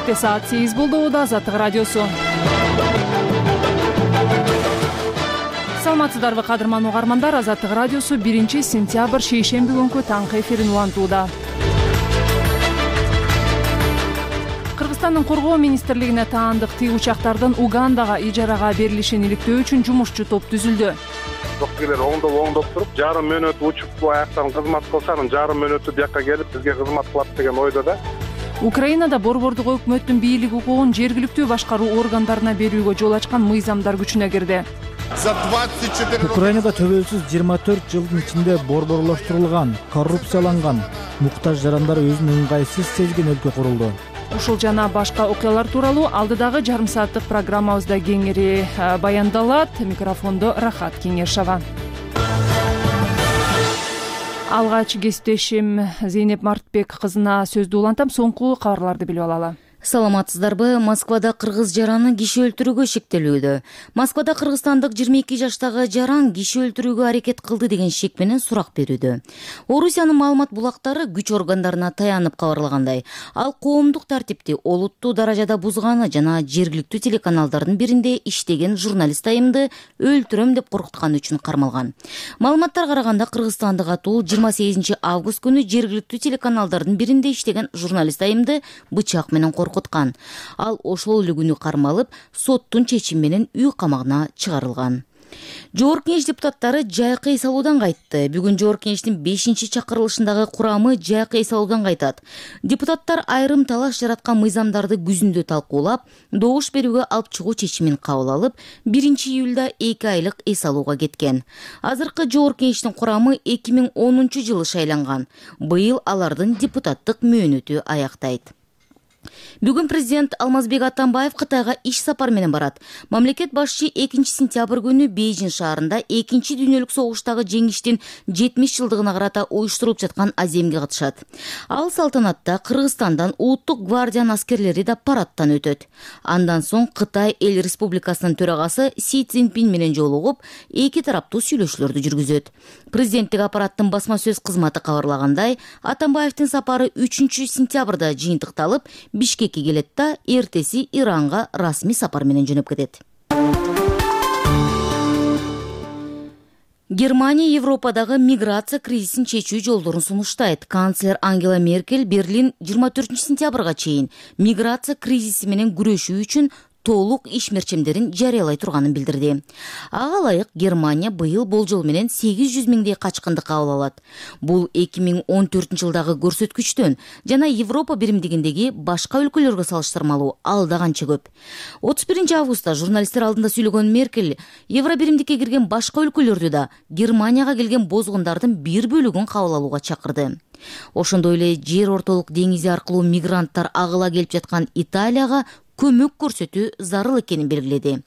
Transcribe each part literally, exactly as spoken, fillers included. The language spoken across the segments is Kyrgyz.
Бишкекте саат сегиз болду. Азаттык радиосу. Саламатсыздарбы кадырман угармандар. Азаттык радиосу биринчи сентябрь шейшемби күнкү таңкы эфирин улантууда. Кыргызстандын коргоо министрлигине таандык тиги учактардын Угандага ижарага берилишин иликтөө үчүн жумушчу топ түзүлдү. Токкилер оңдоп оңдоп туруп, жарым мүнөт учуп аяктан кызмат кылса, анын жарым мүнөтү бияка келип бизге кызмат кылат деген ойдо да. Украинада борбордук өкмөттүн бийлик укугун жергиликтүү башкаруу органдарына берүүгө жол ачкан мыйзамдар күчүнө кирди. Украинада төбөлсүз жыйырма төрт жылдын ичинде борборлоштурулган, коррупцияланган, муктаж жарандар өзүн ыңгайсыз сезген өлкө курулду. Ушул жана башка окуялар тууралуу алдыдагы жарым сааттык программабызда кеңири баяндалат. Микрофондо Рахат Кеңешова. Алгач кесиптешим Зейнеп Мартбек кызына сөздү улантам. Соңку кабарларды билип алалы. Саламатсыздарбы? Москвада кыргыз жараны киши өлтүрүүгө шектелүүдө. Москвада кыргызстандык жыйырма эки жаштагы жаран киши өлтүрүүгө аракет кылды деген шек менен сурак берүүдө. Орусиянын маалымат булактары күч органдарына таянып кабарлагандай, ал коомдук тартипти олуттуу даражада бузганы жана жергиликтүү телеканалдардын биринде иштеген журналист айымды өлтүрөм деп коркутканы үчүн кармалган. Маалыматтар караганда кыргызстандык атуу жыйырма сегизинчи август күнү жергиликтүү телеканалдардын биринде иштеген журналист айымды бычак менен коркуткан. Ал ошол эле күнү кармалып, соттун чечими менен үй камагына чыгарылган. Жогорку Кеңеш депутаттары жайкы эс алуудан кайтты. Бүгүн Жогорку Кеңештин бешинчи чакырылышындагы курамы жайкы эс алуудан кайтат. Депутаттар айрым талаш жараткан мыйзамдарды күзүндө талкуулап, добуш берүүгө алып чыгуу чечимин кабыл алып, биринчи июлда эки айлык эс алууга кеткен. Азыркы Жогорку Кеңештин курамы эки миң онунчу жылы шайланган. Быйыл алардын депутаттык мөөнөтү аяктайт. Бүгүн президент Алмазбек Атамбаев Кытайга иш сапар менен барат. Мамлекет башчы экинчи сентябрь күнү Бейжин шаарында экинчи дүйнөлүк согуштагы жеңиштин жетимиш жылдыгына карата уюштурулуп жаткан аземге катышат. Ал салтанатта Кыргызстандан улуттук гвардиянын аскерлери да парадтан өтөт. Андан соң Кытай эл республикасынын төрагасы Си Цзиньпин менен жолугуп, эки тараптуу сүйлөшүүлөрдү жүргүзөт. Президенттик аппараттын басма сөз кызматы кабарлагандай, Атамбаевдин сапары үчүнчү сентябрда жыйынтыкталып, Бишкекке келет да эртеси Иранга расмий сапар менен жөнөп кетет. Германия Европадагы миграция кризисин чечүү жолдорун сунуштайт. Канцлер Ангела Меркель Берлин жыйырма төртүнчү сентябрга чейин миграция кризиси менен күрөшүү үчүн толук иш мерчемдерин жарыялай турганын билдирди. Ага ылайык Германия быйыл болжол менен сегиз жүз миңдей качкынды кабыл алат. Бул эки миң он төртүнчү жылдагы көрсөткүчтөн жана Европа биримдигиндеги башка өлкөлөргө салыштырмалуу алда канча көп. отуз биринчи августта журналисттер алдында сүйлөгөн Меркель Евро биримдикке кирген башка өлкөлөрдү да Германияга келген бозгундардын бир бөлүгүн кабыл алууга чакырды. Ошондой эле жер ортолук деңизи аркылуу мигранттар агыла келип жаткан Италияга көмөк көрсөтүү зарыл экенин белгиледи.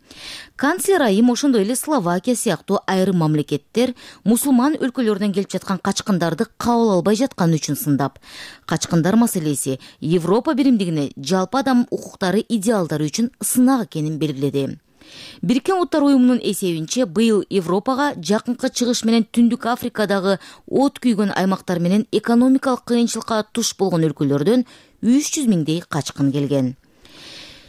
Канцлер айым ошондой эле Словакия сыяктуу айрым мамлекеттер мусулман өлкөлөрдөн келип жаткан качкындарды кабыл албай жатканы үчүн сындап, качкындар маселеси Европа биримдигине жалпы адам укуктары идеалдары үчүн сынак экенин белгиледи. Бириккен Улуттар уюмунун эсебинче быйыл Европага жакынкы чыгыш менен Түндүк Африкадагы от күйгөн аймактар менен экономикалык кыйынчылыкка туш болгон өлкөлөрдөн үч жүз миңдей качкын келген.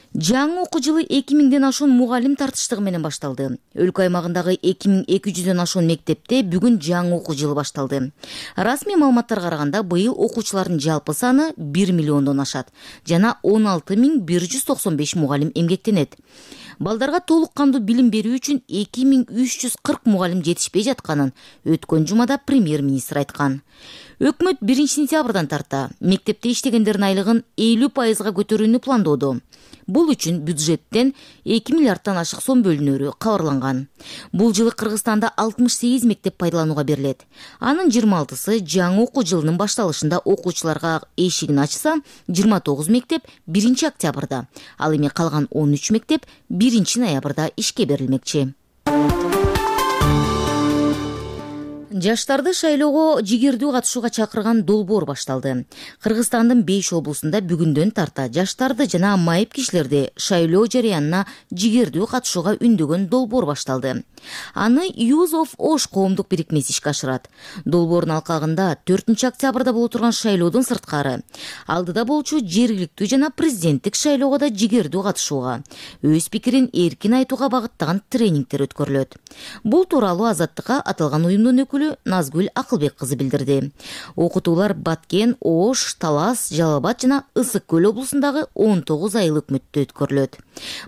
Жаңы окуу жылы эки миңден ашуун мугалим тартыштыгы менен башталды. Өлкө аймагындагы эки миң эки жүздөн ашуун мектепте бүгүн жаңы окуу жылы башталды. Расмий маалыматтарга караганда быйыл окуучулардын жалпы саны бир миллиондон ашат жана он алты миң бир жүз токсон беш мугалим эмгектенет. Балдарга толук кандуу билим берүү үчүн эки миң үч жүз кырк мугалим жетишпей жатканын өткөн жумада премьер-министр айткан. Өкмөт биринчи сентябрдан тарта мектепте иштегендердин айлыгын элүү пайызга көтөрүүнү пландоодо. Бул үчүн бюджеттен эки миллиарддан ашык сом бөлүнөрү кабарланган. Бул жылы Кыргызстанда алтымыш сегиз мектеп пайдаланууга берилет. Анын жыйырма алтысы жаңы окуу жылынын башталышында окуучуларга эшигин ачса, жыйырма тогуз мектеп биринчи октябрда, ал эми калган он үч мектеп биринчи ноябрда ишке берилмекчи. Жаштарды шайлоого жигердүү катышууга чакырган долбоор башталды. Кыргызстандын беш облусунда бүгүндөн тарта жаштарды жана майып кишилерди шайлоо жарыянына жигердүү катышууга үндөгөн долбоор башталды. Аны Youth of Osh коомдук бирикмеси ишке ашырат. Долбоордун алкагында төртүнчү октябрда боло турган шайлоодон сырткары алдыда болчу жергиликтүү жана президенттик шайлоого да жигердүү катышууга, өз пикирин эркин айтууга багыттаган тренингдер өткөрүлөт. Бул тууралуу Азаттыкка аталган уюмдун өкүлү Назгүл Акылбек кызы билдирди. Окутуулар Баткен, Ош, Талас, Жалал Абад жана Ысык Көл облусундагы он тогуз айыл өкмөттө өткөрүлөт.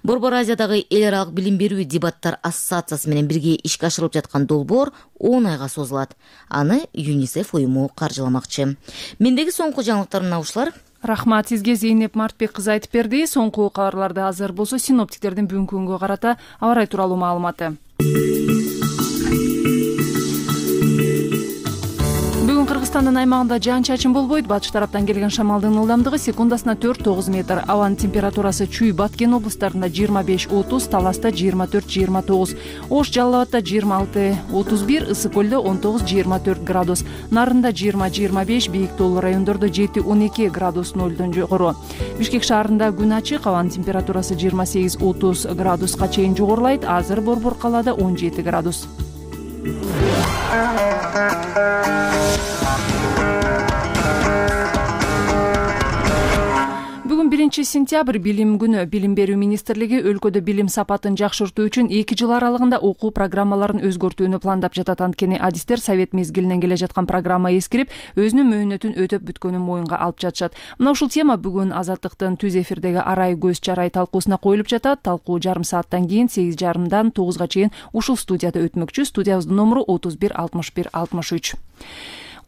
Борбор Азиядагы эл аралык билим берүү дебаттар ассоциациясы менен бирге ишке ашырылып жаткан долбоор он айга созулат. Аны ЮНИСЕФ уюму каржыламакчы. Мендеги соңку жаңылыктар мына ушулар. Рахмат сизге, Зейнеп Мартбек кызы айтып берди. Соңку кабарларда азыр болсо синоптиктердин бүгүнкү күнгө карата аба ырайы тууралуу маалыматы. Бүгүн Кыргызстандын аймагында жаан-чачын болбойт. Батыш тараптан келген шамалдын ылдамдыгы секундасына төрт тогуз метр. Абанын температурасы Чүй, Баткен облустарында жыйырма беш отуз, Таласта жыйырма төрт жыйырма тогуз, Ош, Жалал Абадта жыйырма алты отуз бир, Ысык Көлдө он тогуз жыйырма төрт градус, Нарында жыйырма жыйырма беш, бийик тоолуу райондордо жети он эки градус нөлдөн жогору. Бишкек шаарында күн ачык, абанын температурасы жыйырма сегиз отуз градуска чейин жогорулайт. Азыр Борбор калаада он жети градус. Бүгүн биринчи сентябрь билим күнү. Билим берүү министрлиги өлкөдө билим сапатын жакшыртуу үчүн эки жыл аралыгында окуу программаларын өзгөртүүнү пландап жатат. Анткени адистер совет мезгилинен келе жаткан программа эскирип, өзүнүн мөөнөтүн өтөп бүткөнүн моюнга алып жатышат. Мына ушул тема бүгүн Азаттыктын түз эфирдеги арай көз чарай талкуусуна коюлуп жатат. Талкуу жарым сааттан кийин сегиз жарымдан тогузга чейин ушул студияда өтмөкчү. Студиябыздын номуру отуз бир алтымыш бир алтымыш үч.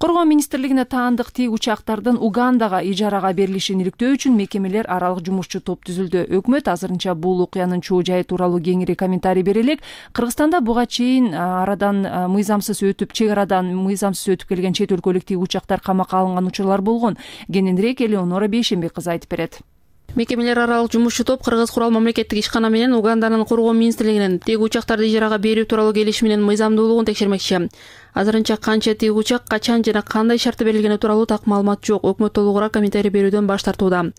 Коргоо министрлигине таандык тик учактардын Угандага ижарага берилишин иликтөө үчүн мекемелер аралык жумушчу топ түзүлдү. Өкмөт азырынча бул окуянын чоо жайы тууралуу кеңири комментарий бере элек. Кыргызстанда буга чейин арадан мыйзамсыз өтүп, чек арадан мыйзамсыз өтүп келген чет өлкөлүк тик учактар камакка алынган учурлар болгон. Кененирээк Элеонора Бейшембек кызы айтып берет. Мекемелер аралык жумушчу топ Кыргыз курал мамлекеттик ишкана менен Уганданын коргоо министрлигинин тик учактарды ижарага берүү тууралуу келишиминин мыйзамдуулугун текшермекчи. Азырынча канча тик учак, качан жана кандай шартта берилгени тууралуу так маалымат жок. Өкмөт толугураак комментарий берүүдөн баш тартууда.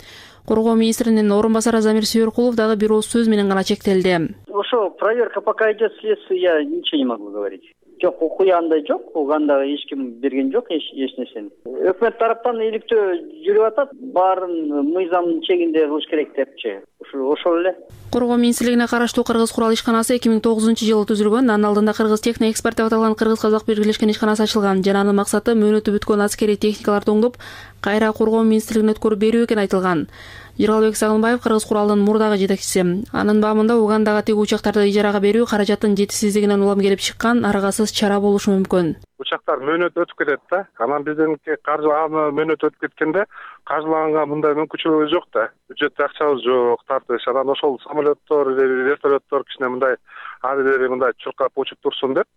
Коргоо министринин орун басары Замир Сүйөркулов дагы бир ооз сөз менен гана чектелди. Ошо проверка пока идет следствие, я ничего не могу говорить. Жок, окуя андай жок, Угандага эч ким берген жок эч нерсени. Өкмөт тараптан иликтөө жүрүп атат, баарын мыйзамдын чегинде кылыш керек депчи. Ошол эле. Коргоо министрлигине караштуу Кыргыз курал ишканасы эки миң тогузунчу жылы түзүлгөн. Анын алдында Кыргыз техно эксперт деп аталган Кыргыз-Казак биргелешкен ишканасы ачылган жана анын максаты мөөнөтү бүткөн аскерий техникаларды оңдоп, кайра коргоо министрлигине өткөрүп берүү экени айтылган. Жыргалбек Сагынбаев Кыргыз куралдын мурдагы жетекчиси. Анын баамында Угандага тик учактарды ижарага берүү каражаттын жетишсиздигинен улам келип чыккан аргасыз чара болушу мүмкүн. Учактар мөөнөт өтүп кетет да. Анан бизденки каржылааны мөөнөт өтүп кеткенде каржылаганга мындай мүмкүнчүлүгүбүз жок да. Бюджетте акчабыз жок, тартыш. Анан ошол самолеттор, вертолеттор кичине мындай адилери мындай чуркап учуп турсун деп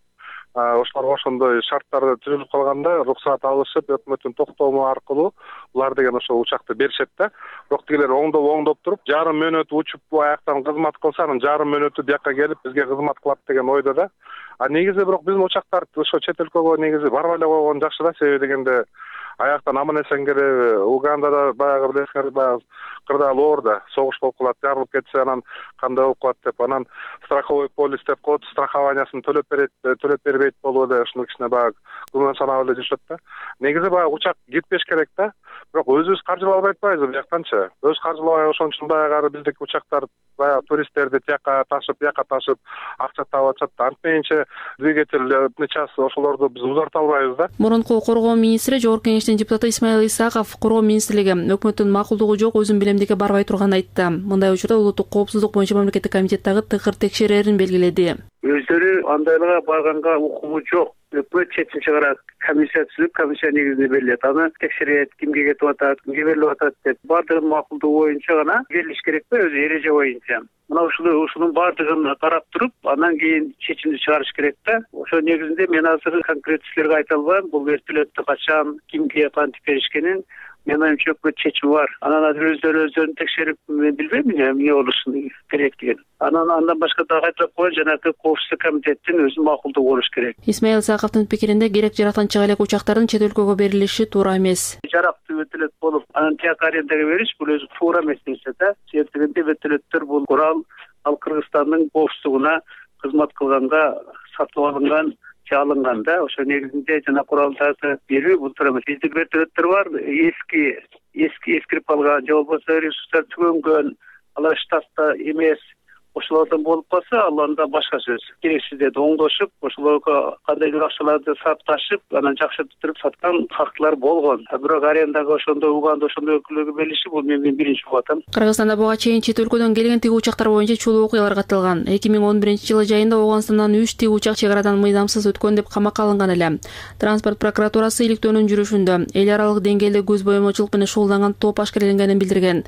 ошолорго ошондой шарттарды түзүлүп калганда уруксаат алышып, өкмөттүн токтому аркылуу булар деген ошол учакты беришет да. Бирок тигилер оңдоп оңдоп туруп, жарым мөөнөт учуп аяктан кызмат кылса, анан жарым мөөнөтү бияка келип бизге кызмат кылат деген ойдо да. А негизи бирок биздин учактар ошо чет өлкөгө негизи барбай эле койгон жакшы да, себеби дегенде аяктан аман эсен келип, Угандада баягы билесиңер, баягы кырдаал оорда согуш болуп калат, жарылып кетсе анан кандай болуп калат деп, анан страховой полис деп коет, страхованиясын төлөп берет, төлөп бербейт болуп эле ушуну кичине баягы күмөн санап эле жүрүшөт да. Негизи баягы учак кетпеш керек да. Бирок өзүбүз каржылабай атпайбыз бияктанчы. Өз каржылабай ошон үчүн баягы биздики учактар баягы туристтерди тияка ташып, бияка ташып акча таап атышат. Антмейинче двигательный час ошолорду биз узарта албайбыз да. Мурунку коргоо министри, жогорку кеңештин депутаты Исмаил Исаков коргоо министрлиги өкмөттүн макулдугу жок, өзүн билемдикке барбай турганын айтты. Мындай учурда улуттук коопсуздук боюнча мамлекеттик комитет дагы тыкыр текшерерин белгиледи. Өздөрү андайларга барганга укугу жок. Өкмөт четинчи кара комиссия түзүп, комиссия негизинде берилет. Аны текшерет, кимге кетип атат, кимге берилип атат деп баардыгын макулдугу боюнча гана берилиш керек да, өзү эреже боюнча. Мына ушуну ушунун баардыгын карап туруп, анан кийин чечимди чыгарыш керек да. Ошо негизинде мен азыр конкрет силерге айта албайм. Бул вертолетту качан, кимге кантип беришкенин Менин оюмча өкмөт чечими бар. Анан азыр өздөрү өздөрүн текшерип, мен билбейм эмне болушун керек деген. Анан андан башка дагы кайталап коюн, жанагы коопсуздук комитеттин өзү макулдугу болуш керек. Исмаил Исаковдун пикиринде керек жарактан чыга элек учактардын чет өлкөгө берилиши туура эмес. Жарактуу вертолет болуп, анан тияк арендага бериш бул өзү туура эмес нерсе да. Себеби вертолеттер бул курал ал Кыргызстандын коопсуздугуна кызмат кылганга сатып алынган, алынган да. Ошо негизинде жана куралдарды берүү бул туура эмес. Бизде вертолеттер бар, эски эски эскирип калган, же болбосо ресурстар түгөнгөн, алар штатта эмес. Ошолордон болуп калса, ал анда башка сөз. Керексиздерди оңдошуп, ошолорго кандайдыр акчаларды сапташып, анан жакшыртып саткан фактылар болгон. Бирок арендага ошондой уганда ошондой өлкөлөргө берилиши бул мен биринчи угуп атам. Кыргызстанда буга чейин чет өлкөдөн келген тиги учактар боюнча чулуу окуялар катталган. эки миң он биринчи жылы жайында Ооганстандан үч тиги учак чек арадан мыйзамсыз өткөн деп камакка алынган эле. Транспорт прокуратурасы иликтөөнүн жүрүшүндө эл аралык деңгээлде көз боомочулук менен шугулданган топ ашкереленгенин билдирген.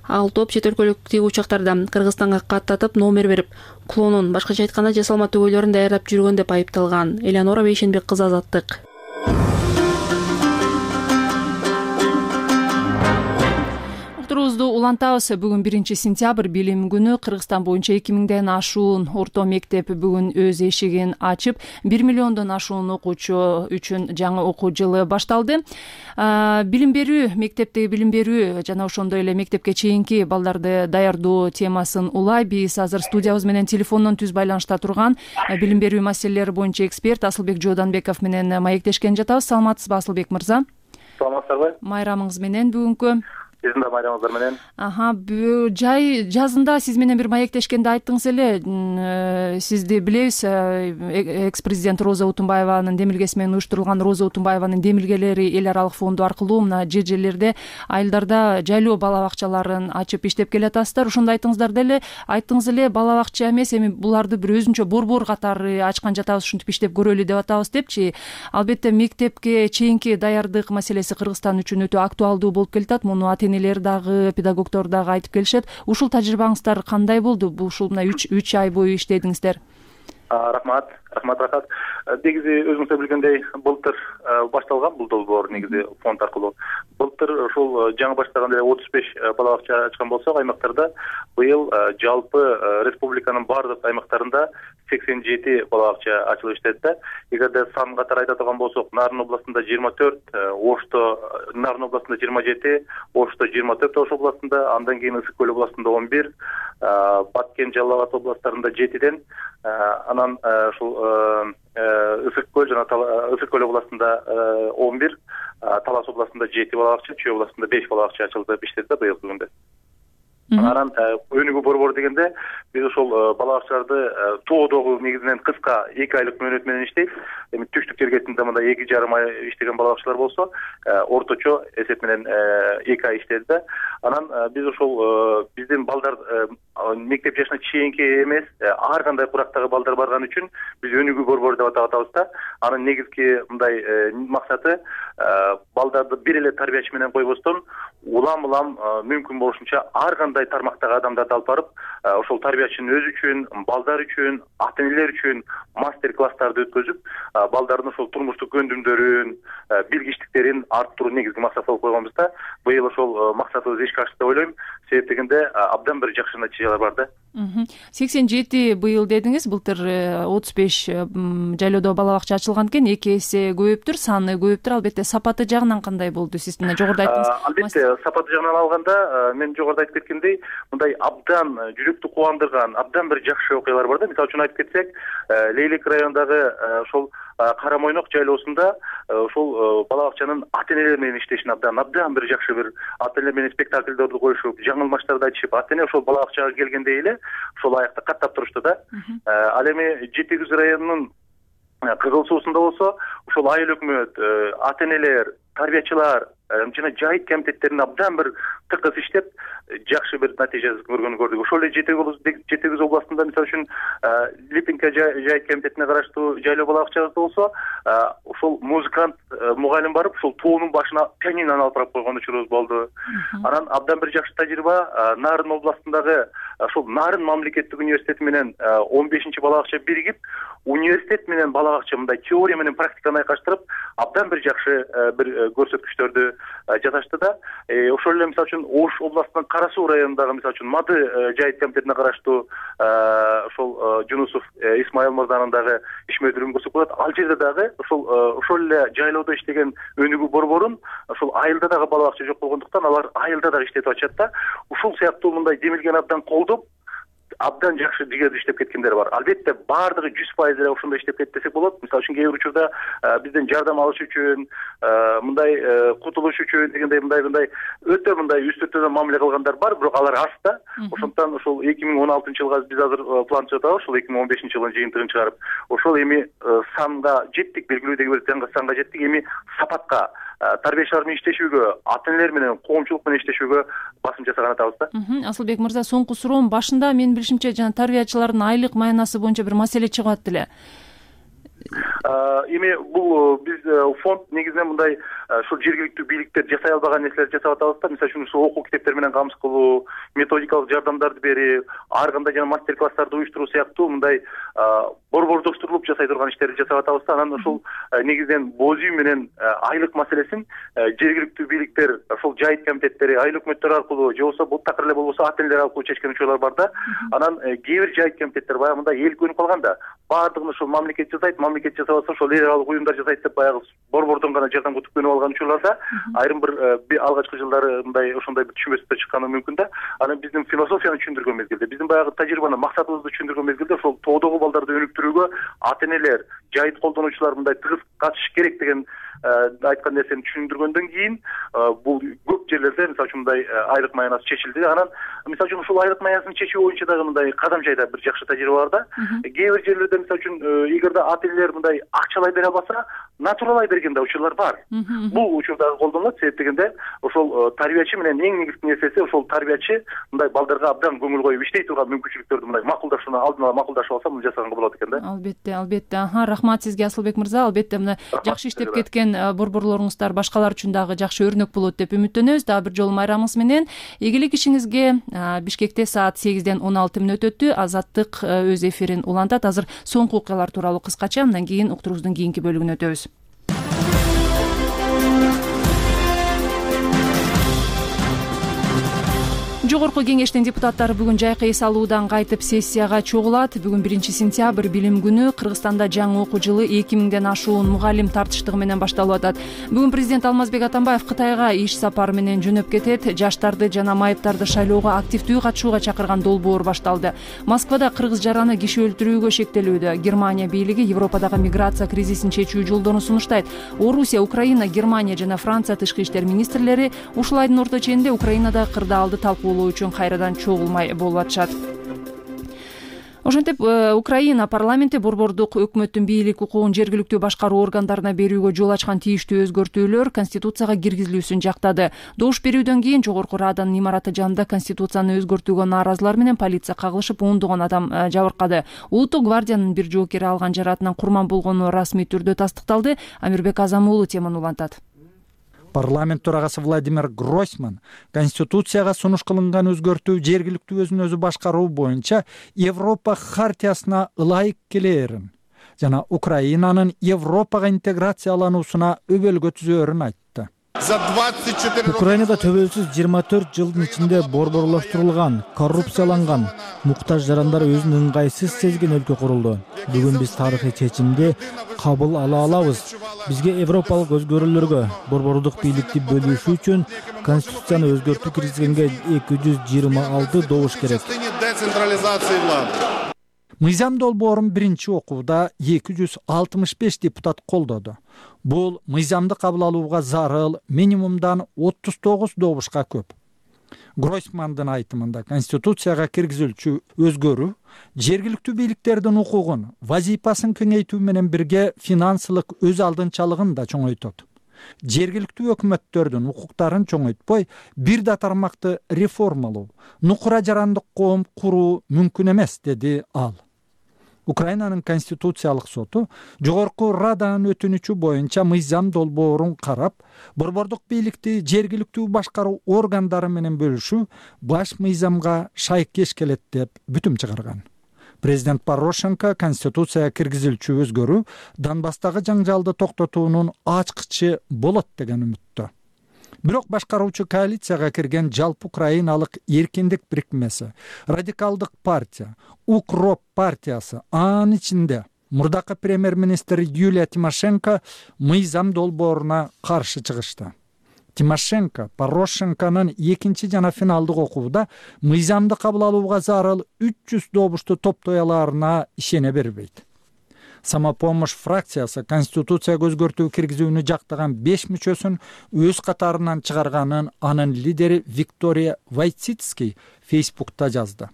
Ал топ чет өлкөлүк тиги учактарды Кыргызстанга каттатып номер берип, клонун, башкача айтканда жасалма түгөйлөрүн даярдап жүргөн деп айыпталган. Элеонора Бейшенбек кызы, Азаттык. Турубузду улантабыз. Бүгүн биринчи сентябрь билим күнү. Кыргызстан боюнча эки миңден ашуун орто мектеп бүгүн өз эшигин ачып, бир миллиондон ашуун окуучу үчүн жаңы окуу жылы башталды. Билим берүү, мектептеги билим берүү жана ошондой эле мектепке чейинки балдарды даярдоо темасын улай. Биз азыр студиябыз менен телефондон түз байланышта турган билим берүү маселелери боюнча эксперт Асылбек Жооданбеков менен маектешкен жатабыз. Саламатсызбы, Асылбек мырза? Саламатсыздарбы? Майрамыңыз менен бүгүнкү. Сиздин да майрамыңыздар менен. Аха, жай жазында сиз менен бир маектешкенде айттыңыз эле, сизди билебиз, экс-президент Роза Утунбаеванын демилгеси менен уюштурулган Роза Утунбаеванын демилгелери эл аралык фонду аркылуу мына жер жерлерде айылдарда жайлоо бала бакчаларын ачып иштеп келатасыздар. Ошондо айттыңыздар деле, айттыңыз эле бала бакча эмес, эми буларды бир өзүнчө борбор катары ачкан жатабыз, ушинтип иштеп көрөлү деп атабыз депчи. Албетте мектепке чейинки даярдык маселеси Кыргызстан үчүн өтө актуалдуу болуп келатат. Муну энелер дагы, педагогдор дагы айтып келишет. Ушул тажрыйбаңыздар кандай болду? Бул ушул мына үч ай бою иштедиңиздер. Рахмат, рахмат, рахмат. Негизи өзүңүздөр билгендей, былтыр башталган бул долбоор негизи фонд аркылуу. Былтыр ушул жаңы баштаганда отуз беш бала бакча ачкан болсок, аймактарда быйыл жалпы республиканын баардык аймактарында сексен жети бала бакча ачылып иштеди да. Эгерде сан катары айта турган болсок, Нарын областында жыйырма төрт, Ошто, Нарын областында жыйырма жети, Ошто жыйырма төрт Ош областында, андан кийин Ысык көл областында он бир, Баткен, Жалал Абад областарында жетиден, анан ушул Ысык көл жана Ысык көл областында он бир, Талас областында жети бала бакча, Чүй областында беш бала бакча ачылды иштеди да быйыл күндө. Анан өнүгүү борбору дегенде биз ошол бала бакчаларды тоодогу негизинен кыска эки айлык мөөнөт менен иштейт. Эми түштүк жергесинде мындай эки жарым ай иштеген бала бакчалар болсо, орточо эсеп менен эки ай иштеди да. Анан биз ошол биздин балдар мектеп жашына чейинки эмес, ар кандай курактагы балдар барган үчүн биз өнүгүү борбору деп атап атабыз да. Анын негизги мындай максаты балдарды бир эле тарбиячы менен койбостон, улам-улам мүмкүн болушунча ар кандай тармактагы адамдарды алып барып, ошол тарбиячынын өзү үчүн, балдар үчүн, ата-энелер үчүн мастер-класстарды өткөзүп, балдардын ошол турмуштук көндүмдөрүн, билгичтиктерин арттыруу негизги максат болуп койгонбуз да. Быйыл ошол максатыбыз ишке ашты деп ойлойм. Себеп дегенде абдан бир жакшы натыйжалар бар да. сексен жети быйыл дедиңиз, былтыр отуз беш жайлоодо бала бакча ачылган экен, эки эсе көбөйүптүр, саны көбөйүптүр. Албетте сапаты жагынан кандай болду? Сиз мына жогоруда айттыңыз. Албетте сапаты жагынан алганда, мен жогоруда айтып кеткендей, мындай абдан жүрөктү кубандырган, абдан бир жакшы окуялар бар да. Мисалы үчүн айтып кетсек, Лейлик районундагы ошол Кара Мойнок жайлоосунда ошол бала бакчанын ата-энелер менен иштешин абдан абдан бир жакшы бир ата-энелер менен спектакльдерди коюшуп, жаңылмаштарды айтышып, ата-эне ошол бала бакчага келгендей эле ошол аякта каттап турушту да. Ал эми Жети Күз районунун Кызыл Суусунда болсо, ошол айыл өкмөт, ата-энелер, тарбиячылар жана жайыт комитеттерин абдан бир тыкыз иштеп, жакшы бир натыйжа көргөнү көрдүк. Ошол эле Жети Күз областында мисалы үчүн Липинка жайыт комитетине караштуу жайлоо бала бакчасы болсо, ошол музыкант мугалим барып, ошол тоонун башына пианинону алып барып койгон учурубуз болду. Анан абдан бир жакшы тажрыйба Нарын областындагы ошол Нарын мамлекеттик университети менен он бешинчи бала бакча биригип, университет менен бала бакча мындай теория менен практиканы айкаштырып, абдан бир жакшы бир көрсөткүчтөрдү жасашты да. Ошол эле мисалы үчүн Ош областынын Кара Суу районундагы мисалы үчүн Мады жайыт комитетине караштуу ошол Жунусов Исмайыл мырзанын дагы ишмердүүлүгүн көрсөк болот. Ал жерде дагы ошол ошол эле жайлоодо иштеген өнүгүү борборун ошол айылда дагы бала бакча жок болгондуктан алар айылда дагы иштетип атышат да. Ушул сыяктуу мындай демилген абдан колдоп, абдан жакшы жигердүү иштеп кеткендер бар. Албетте баардыгы жүз пайыз эле ошондой иштеп кетти десек болот. Мисалы үчүн кээ бир учурда бизден жардам алыш үчүн, мындай кутулуш үчүн дегендей мындай мындай өтө мындай үст өтөдөн мамиле кылгандар бар, бирок алар аз да. Ошондуктан ошол эки миң он алтынчы жылга биз азыр план жасап, ошол эки миң он бешинчи жылдын жыйынтыгын чыгарып, ошол эми санга жеттик, белгилүү деги бир санга жеттик. Эми сапатка, тарбиячылар менен иштешүүгө, ата энелер менен, коомчулук менен иштешүүгө басым жасаган атабыз да. Асылбек мырза, соңку суроом, башында мен билишимче жана тарбиячылардын айлык маянасы боюнча бир маселе чыгып атты эле. Эми бул биз фонд негизинен мындай ушул жергиликтүү бийликтер жасай албаган нерселерди жасап атабыз да. Мисалы үчүн ушул окуу китептер менен камсыз кылуу, методикалык жардамдарды берип, ар кандай жана мастер класстарды уюштуруу сыяктуу мындай борбордоштурулуп жасай турган иштерди жасап атабыз да. Анан ушул негизинен боз үй менен айлык маселесин жергиликтүү бийликтер, ошол жайыт комитеттери, айыл өкмөттөр аркылуу же болбосо бул такыр эле болбосо ата энелер аркылуу чечкен учурлар бар да. Анан кээ бир жайыт комитеттер баягы мындай эл көнүп калган да. Баардыгын ошол мамлекет жасайт, мамлекет жасабаса ошол эл аралык уюмдар жасайт деп баягы борбордон гана жардам күтүп көнүп алган учурларда айрым бир алгачкы жылдары мындай ошондой бир түшүнбөстүктөр чыкканы мүмкүн да. Анан биздин философияны түшүндүргөн мезгилде, биздин баягы тажрыйбаны, максатыбызды түшүндүргөн мезгилде ошол тоодогу балдарды өнүктүрүүгө ата энелер, жайыт колдонуучулар мындай тыгыз катышыш керек деген айткан нерсени түшүндүргөндөн кийин бул көп жерлерде мисалы үчүн мындай айлык маянасы чечилди. Анан мисалы үчүн ушул айлык маясын чечүү боюнча дагы мындай кадам жайда бир жакшы тажрыйба бар да. Кээ бир жерлерде мисалы үчүн эгерде ата энелер мындай акчалай бере албаса, натуралай берген да учурлар бар. Бул учур дагы колдонулат. Себеп дегенде ошол тарбиячы менен эң негизги нерсеси ошол тарбиячы мындай балдарга абдан көңүл коюп иштей турган мүмкүнчүлүктөрдү мындай макулдашууну алдын ала макулдашып алса, муну жасаганга болот экен да. Албетте, албетте. Аха, рахмат сизге Асылбек мырза. Албетте мына жакшы иштеп кеткен борборлоруңуздар башкалар үчүн дагы жакшы өрнөк болот деп үмүттөнөбүз. Дагы бир жолу майрамыңыз менен ийгилик ишиңизге. Бишкекте саат сегизден он алты мүнөт өттү. Азаттык өз эфирин улантат. Азыр соңку окуялар тууралуу кыскача, андан кийин уктуруубуздун кийинки бөлүгүнө өтөбүз. Жогорку кеңештин депутаттары бүгүн жайкы эс алуудан кайтып сессияга чогулат. Бүгүн биринчи сентябрь билим күнү. Кыргызстанда жаңы окуу жылы эки миңден ашуун мугалим тартыштыгы менен башталып атат. Бүгүн президент Алмазбек Атамбаев Кытайга иш сапары менен жөнөп кетет. Жаштарды жана майыптарды шайлоого активдүү катышууга чакырган долбоор башталды. Москвада кыргыз жараны киши өлтүрүүгө шектелүүдө. Германия бийлиги Европадагы миграция кризисин чечүү жолдорун сунуштайт. Орусия, Украина, Германия жана Франция тышкы иштер министрлери ушул айдын орто ченинде Украинада кырдаалды талкуулоо үчүн кайрадан чогулмай болуп атышат. Ошентип Украина парламенти борбордук өкмөттүн бийлик укугун жергиликтүү башкаруу органдарына берүүгө жол ачкан тийиштүү өзгөртүүлөр конституцияга киргизилүүсүн жактады. Добуш берүүдөн кийин Жогорку Раданын имараты жанында конституцияны өзгөртүүгө нааразылар менен полиция кагылышып, ондогон адам жабыркады. Улуттук гвардиянын бир жоокери алган жараатынан курман болгону расмий түрдө тастыкталды. Амирбек Азам уулу теманы улантат. Парламент төрагасы Владимир Гройсман Конституцияга сунуш кылынган өзгөртүү жергиликтүү өзүн өзү башкаруу боюнча Европа хартиясына ылайык келээрин жана Украинанын Европага интеграциялануусуна өбөлгө түзөөрүн айтты. Украинада төбөлсүз жыйырма төрт жылдын ичинде борборлоштурулган, коррупцияланган, муктаж жарандар өзүн ыңгайсыз сезген өлкө курулду. Бүгүн биз тарыхый чечимди кабыл ала алабыз. Бизге европалык өзгөрүүлөргө, борбордук бийликти бөлүшүү үчүн конституцияны өзгөртүү киргизгенге эки жүз жыйырма алты добуш керек. Мыйзам долбоорун биринчи окууда эки жүз алтымыш беш депутат колдоду. Бул мыйзамды кабыл алууга зарыл минимумдан отуз тогуз добушка көп. Гройсмандын айтымында Конституцияга киргизилчү өзгөрүү жергиликтүү бийликтердин укугун, вазипасын кеңейтүү менен бирге финансылык өз алдынчалыгын да чоңойтот. Жергиликтүү өкмөттөрдүн укуктарын чоңойтпой, бир да тармакты реформалоо, нукура жарандык коом куруу мүмкүн эмес, деди ал. Украинанын конституциялык соту Жогорку Раданын өтүнүчү боюнча мыйзам долбоорун карап, борбордук бийликти жергиликтүү башкаруу органдары менен бөлүшүү баш мыйзамга шайкеш келет деп бүтүм чыгарган. Президент Порошенко Конституцияга киргизилчү өзгөрүү Донбасстагы жаңжалды токтотуунун ачкычы болот деген үмүттө. бирок башкаруучу коалицияга кирген жалпы украиналык эркиндик бирикмеси, радикалдык партия, укроп партиясы, анын ичинде мурдакы премьер-министр Юлия Тимошенко мыйзам долбооруна каршы чыгышты. Тимошенко Порошенконун экинчи жана финалдык окууда мыйзамды кабыл алууга зарыл үч жүз добушту топтой алаарына ишене бербейт. Самопомощь фракциясы конституцияга өзгөртүү киргизүүнү жактаган беш мүчөсүн өз катарынан чыгарганын анын лидери Виктория Войцицкий Фейсбукта жазды.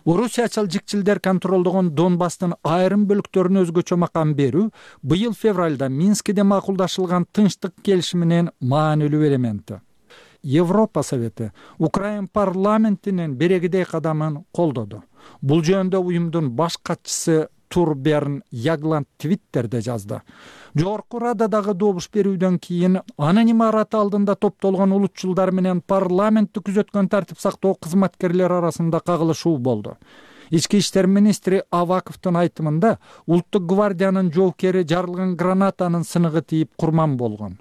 Орусиячыл жикчилдер контролдогон Донбасстын айрым бөлүктөрүнө өзгөчө макам берүү быйыл февралда Минскиде макулдашылган тынчтык келишиминин маанилүү элементи. Европа Совети Украин парламентинин берегидей кадамын колдоду. Бул жөнүндө уюмдун баш катчысы Турберн Ягланд Твиттерде жазды. Жогорку Рададагы добуш берүүдөн кийин анын имараты алдында топтолгон улутчулдар менен парламентти күзөткөн тартип сактоо кызматкерлери арасында кагылышуу болду. Ички иштер министри Аваковдун айтымында Улуттук гвардиянын жоокери жарылган гранатанын сыныгы тийип курман болгон.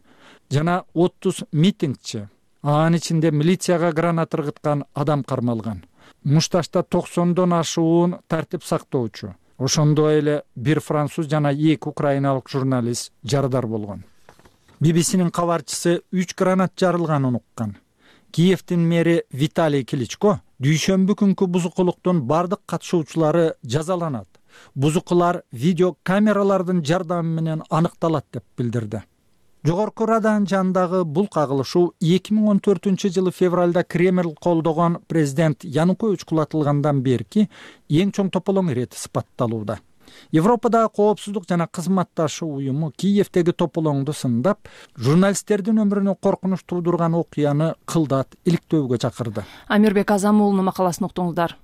Жана отуз митингчи, анын ичинде милицияга гранат ыргыткан адам кармалган. Мушташта токсондон ашуун тартип сактоочу, ошондой эле бир француз жана эки украиналык журналист жарадар болгон. би би синин кабарчысы үч гранат жарылганын уккан. Киевдин мэри Виталий Кличко дүйшөмбү күнкү бузукулуктун бардык катышуучулары жазаланат. Бузукулар видео камералардын жардамы менен аныкталат деп билдирди. Жогорку Раданын жанындагы бул кагылышуу эки миң он төртүнчү жылы февралда Кремль колдогон президент Янукович кулатылгандан берки эң чоң тополоң ирети сыпатталууда. Европадагы коопсуздук жана кызматташуу уюму Киевдеги тополоңду сындап, журналисттердин өмүрүнө коркунуч туудурган окуяны кылдат иликтөөгө чакырды. Амирбек Азамуулунун макаласын уктуңуздар.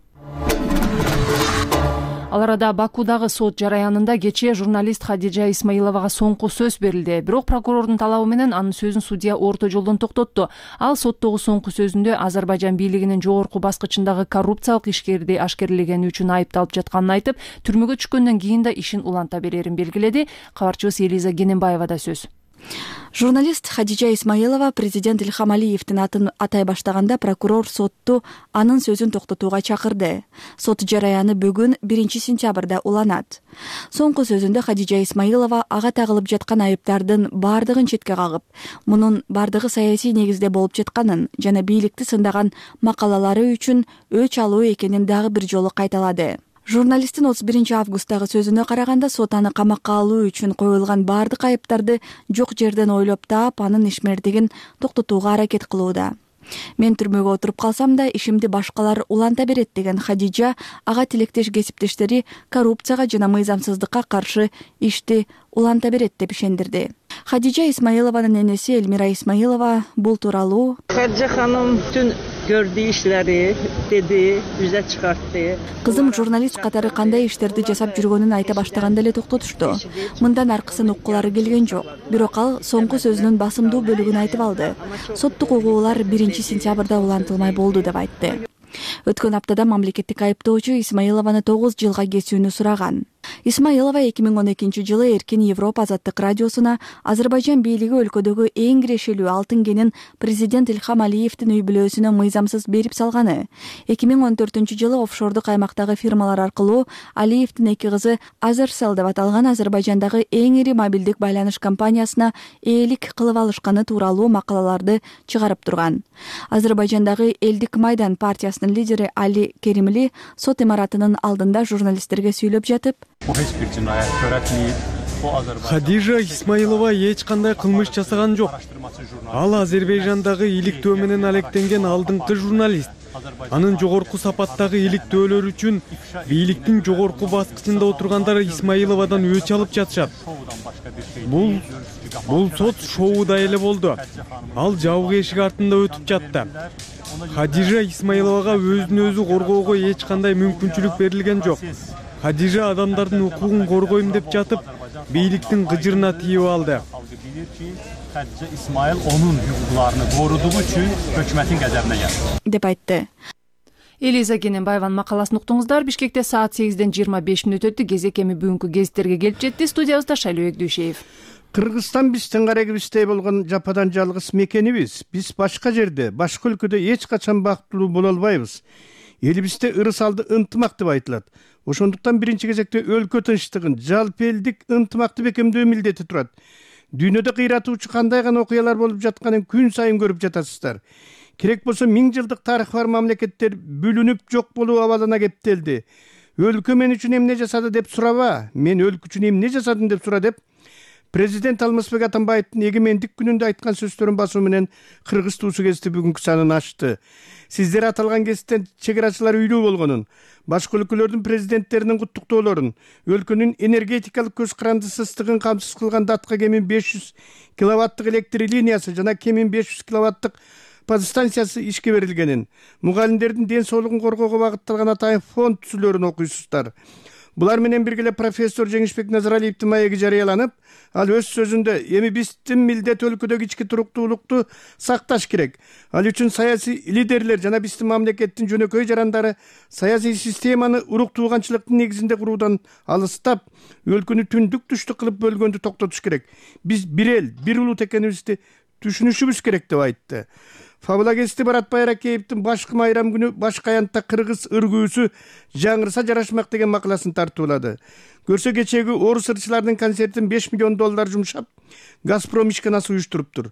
Ал арада Бакудагы сот жараянында кечээ журналист Хадижа Исмаиловага соңку сөз берилди. Бирок прокурордун талабы менен анын сөзүн судья орто жолдон токтотту. Ал соттогу соңку сөзүндө Азербайжан бийлигинин жогорку баскычындагы коррупциялык ишкерди ашкерлегени үчүн айыпталып жатканын айтып, түрмөгө түшкөндөн кийин да ишин уланта берерин белгиледи. Кабарчыбыз Элиза Гененбаевада сөз. Журналист Хадижа Исмаилова президент Ильхам Алиевдин атын атай баштаганда прокурор сотту анын сөзүн токтотууга чакырды. Сот жараяны бүгүн биринчи сентябрда уланат. Соңку сөзүндө Хадижа Исмаилова ага тагылып жаткан айыптардын бардыгын четке кагып, мунун бардыгы саясий негизде болуп жатканын жана бийликти сындаган макалалары үчүн өч алуу экенин дагы бир жолу кайталады. Журналисттин отуз биринчи августтагы сөзүнө караганда сот аны камакка алуу үчүн коюлган бардык айыптарды жок жерден ойлоп таап, анын ишмердигин токтотууга аракет кылууда. Мен түрмөгө отуруп калсам да ишимди башкалар уланта берет деген Хадижа ага тилектеш кесиптештери коррупцияга жана мыйзамсыздыкка каршы ишти уланта берет деп ишендирди. Хадижа Исмаилованын энеси Элмира Исмаилова бул тууралуу Хадижа ханым түн көрдү ишлери деди, жүзө чыгартты. Кызым журналист катары кандай иштерди жасап жүргөнүн айта баштаганда эле токтотушту. Мындан аркысын уккулары келген жок. Бирок ал соңку сөзүнүн басымдуу бөлүгүн айтып алды. Соттук угуулар биринчи сентябрда улантылмай болду деп айтты. Өткөн аптада мамлекеттик айыптоочу Исмаилованы тогуз жылга кесүүнү сураган. Исмаилова эки миң он экинчи жылы Эркин Европа азаттык радиосуна Азербайжан бийлиги өлкөдөгү эң кирешелүү алтын кенин президент Ильхам Алиевдин үй бүлөсүнө мыйзамсыз берип салганы. эки миң он төртүнчү жылы офшордук аймактагы фирмалар аркылуу Алиевдин эки кызы Азерcell деп аталган Азербайжандагы эң ири мобилдик байланыш компаниясына ээлик кылып алышканы тууралуу макалаларды чыгарып турган. Азербайжандагы Элдик Майдан партиясынын лидери Али Керимли сот имаратынын алдында журналисттерге сүйлөп жатып, Хадижа Исмаилова эч кандай кылмыш жасаган жок. Ал Азербайжандагы иликтөө менен алектенген алдыңкы журналист. Анын жогорку сапаттагы иликтөөлөр үчүн бийликтин жогорку баскычында отургандар Исмаиловадан өч алып жатышат. Бул бул сот шоуда эле болду. Ал жабык эшик артында өтүп жатты. Хадижа Исмаиловага өзүн өзү коргоого эч кандай мүмкүнчүлүк берилген жок. Хадижа адамдардын укугун коргойм деп жатып, бийликтин гыжырына тийип алды. Хадижа Исмаил онун укукларын корудугу үчүн өкмөттүн газабына келди деп айтты. Элиза Гененбаеванын макаласын уктуңуздар. Бишкекте саат сегизден жыйырма беш мүнөт өттү. Кезек эми бүгүнкү гезиттерге келип жетти. Студиябызда Шайлообек Дүйшеев. Кыргызстан биздин карегибиздей болгон жападан жалгыз мекенибиз. Биз башка жерде, башка өлкөдө эч качан бактылуу боло албайбыз. Элибизде ырыс алды ынтымак деп айтылат. Ошондуктан биринчи кезекте өлкө тынчтыгын, жалпы элдик ынтымакты бекемдөө милдети турат. Дүйнөдө кыйратуучу кандай гана окуялар болуп жатканын күн сайын көрүп жатасыздар. Керек болсо миң жылдык тарыхы бар мамлекеттер бүлүнүп жок болуу абалына кептелди. Өлкө мен үчүн эмне жасады деп сураба, мен өлкө үчүн эмне жасадым деп сура деп Президент Алмазбек Атамбаевдин эгемендик күнүндө айткан сөздөрүн басуу менен Кыргыз туусу гезити бүгүнкү санын ачты. Сиздер аталган гезиттен чек арачылар үйлүү болгонун, башка өлкөлөрдүн президенттеринин куттуктоолорун, өлкөнүн энергетикалык көз карандысыздыгын камсыз кылган датка кеми беш жүз киловаттык электр линиясы жана кеми беш жүз киловаттык подстанциясы ишке берилгенин, мугалимдердин ден соолугун коргоого багытталган атайын фонд түзүлөрүн окуйсуздар. Булар менен бирге профессор Жеңишбек Назаралиевдин маеги жарыяланып, ал өз сөзүндө эми биздин милдет өлкөдөгү ички туруктуулукту сакташ керек. Ал үчүн саясий лидерлер жана биздин мамлекеттин жөнөкөй жарандары саясий системаны урук тууганчылыктын негизинде куруудан алыстап, өлкөнү түндүк түштүк кылып бөлгөндү токтотуш керек. Биз бир эл, бир улут экенибизди түшүнүшүбүз керек деп айтты. Фабула гезити Барат Байракеевдин башкы майрам күнү башка аянтта кыргыз ыргүүсү жаңырса жарашмак деген макаласын тартуулады. Көрсө кечеги орус ырчылардын концертин беш миллион доллар жумшап, Газпром ишканасы уюштуруптур.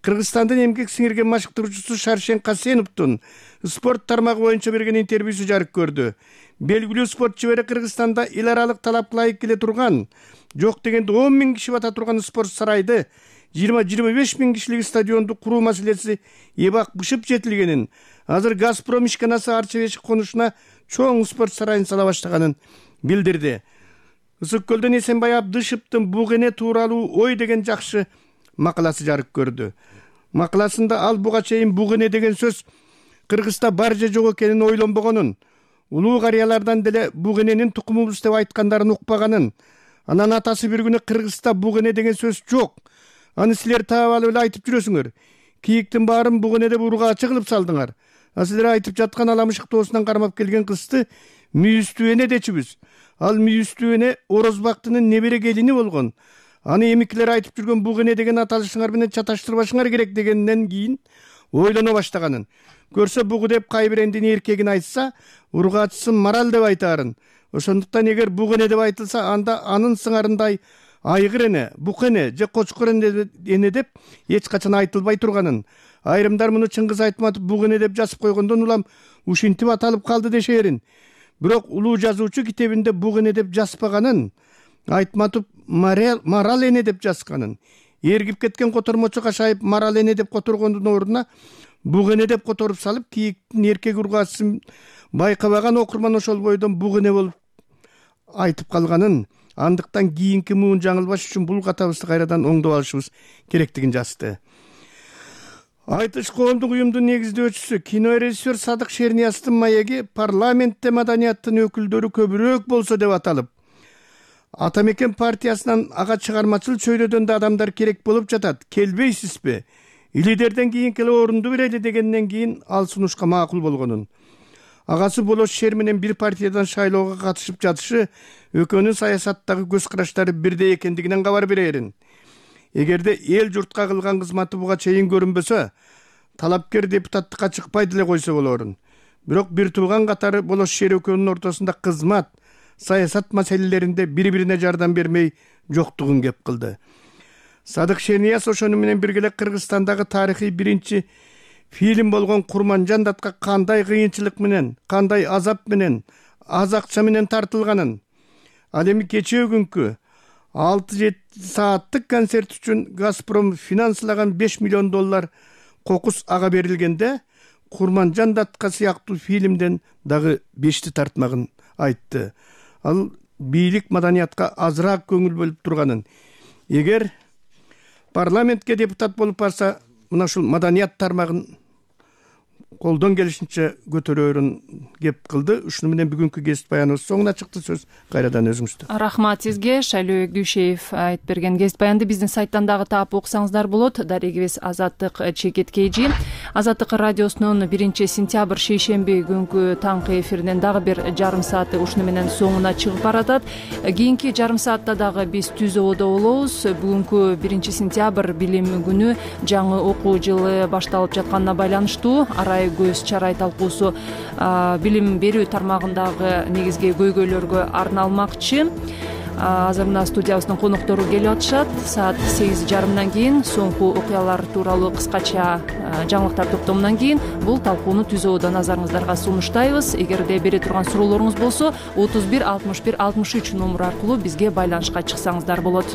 Кыргызстандын эмгек сиңирген машыктыруучусу Шаршен Касеновдун спорт тармагы боюнча берген интервьюсу жарык көрдү. Белгилүү спорт чебери Кыргызстанда эл аралык талапка ылайык келе турган, жок дегенде он миң киши бата турган спорт сарайды жыйырма жыйырма беш миң кишилик стадионду куруу маселеси эбак бышып жетилгенин, азыр Газпром ишканасы Арча-Бешик конушуна чоң спорт сарайын сала баштаганын билдирди. Ысык көлдөн Эсенбай Абдышевдин буг эне тууралуу ой деген жакшы макаласы жарык көрдү. Макаласында ал буга чейин буг эне деген сөз Кыргызда бар же жок экенин ойлонбогонун, улуу карыялардан деле буг эненин тукумубуз деп айткандарын укпаганын, анан атасы бир күнү Кыргызда буг эне деген сөз жок, аны силер таап алып эле айтып жүрөсүңөр. Кийиктин баарын буг эне деп ургаачы кылып салдыңар. А силер айтып жаткан аламышык тоосунан кармап келген кызды мүйүстүү эне дечүбүз. Ал мүйүстүү эне Орозбактынын небере келини болгон. Аны эмикилер айтып жүргөн буг эне деген аталышыңар менен чаташтырбашыңар керек дегенден кийин ойлоно баштаганын. Көрсө бугу деп кайбир эндин эркегин айтса, ургаачысын марал деп айтаарын. Ошондуктан эгер буг эне деп айтылса, анда анын сыңарындай айгыр эне, бук эне же кочкор эне деп эч качан айтылбай турганын. Айрымдар муну Чыңгыз Айтматов буг эне деп жазып койгондон улам ушинтип аталып калды дешерин. Бирок улуу жазуучу китебинде буг эне деп жазбаганын, Айтматов марал эне деп жазганын. Эргип кеткен котормочу Кашаев марал эне деп которгондун ордуна буг эне деп которуп салып, кийиктин эркек ургаачысын байкабаган окурман ошол бойдон буг эне болуп айтып калганын, андыктан кийинки муун жаңылбаш үчүн бул катабызды кайрадан оңдоп алышыбыз керектигин жазды. Айтыш коомдук уюмдун негиздөөчүсү, кинорежиссер Садык Шернияздын маеги парламентте маданияттын өкүлдөрү көбүрөөк болсо деп аталып, Атамекен партиясынан ага чыгармачыл чөйрөдөн да адамдар керек болуп жатат. Келбейсизби? Лидерден кийин келе орунду берели дегенден кийин ал сунушка макул болгонун. Агасы Болош Шер менен бир партиядан шайлоого катышып жатышы экөөнүн саясаттагы көз караштары бирдей экендигинен кабар берерин. Эгерде эл журтка кылган кызматы буга чейин көрүнбөсө, талапкер депутаттыкка чыкпай деле койсо болорун. Бирок бир тууган катары Болош Шер экөөнүн ортосунда кызмат, саясат маселелеринде бири-бирине жардам бермей жоктугун кеп кылды. Садык Шернияз ошону менен бирге Кыргызстандагы тарыхый биринчи фильм болгон Курманжан датка кандай кыйынчылык менен, кандай азап менен, аз акча менен тартылганын, ал эми кечээ күнкү алты жети сааттык концерт үчүн Газпром финанслаган беш миллион доллар кокус ага берилгенде, Курманжан датка сыяктуу фильмден дагы бешти тартмагын айтты. Ал бийлик маданиятка азыраак көңүл бөлүп турганын, эгер парламентке депутат болуп барса, мына ушул маданият тармагын колдон келишинче көтөрөөрүн кеп кылды. Ушуну менен бүгүнкү кесип баяныбыз соңуна чыкты. Сөз кайрадан өзүңүздө. Рахмат сизге. Шайлоо Дүйшеев айтып берген кесип баянды биздин сайттан дагы таап окусаңыздар болот. Дарегибиз Азаттык Чекет Кейжи. Азаттык радиосунун биринчи сентябрь шейшемби күнкү таңкы эфиринен дагы бир жарым сааты ушуну менен соңуна чыгып баратат. Кийинки жарым саатта дагы биз Түз Ободо болобуз. Бүгүнкү биринчи сентябрь билим күнү, жаңы окуу жылы башталып жатканына байланыштуу арай көз чарай талкуусу билим берүү тармагындагы негизги көйгөйлөргө арналмакчы. Азыр мына студиябыздын коноктору келип атышат. Саат сегиз жарымдан кийин соңку окуялар тууралуу кыскача жаңылыктар топтомунан кийин бул талкууну Түз Ободо назарыңыздарга сунуштайбыз. Эгерде бере турган суроолоруңуз болсо отуз бир алтымыш бир алтымыш үч номуру аркылуу бизге байланышка чыксаңыздар болот.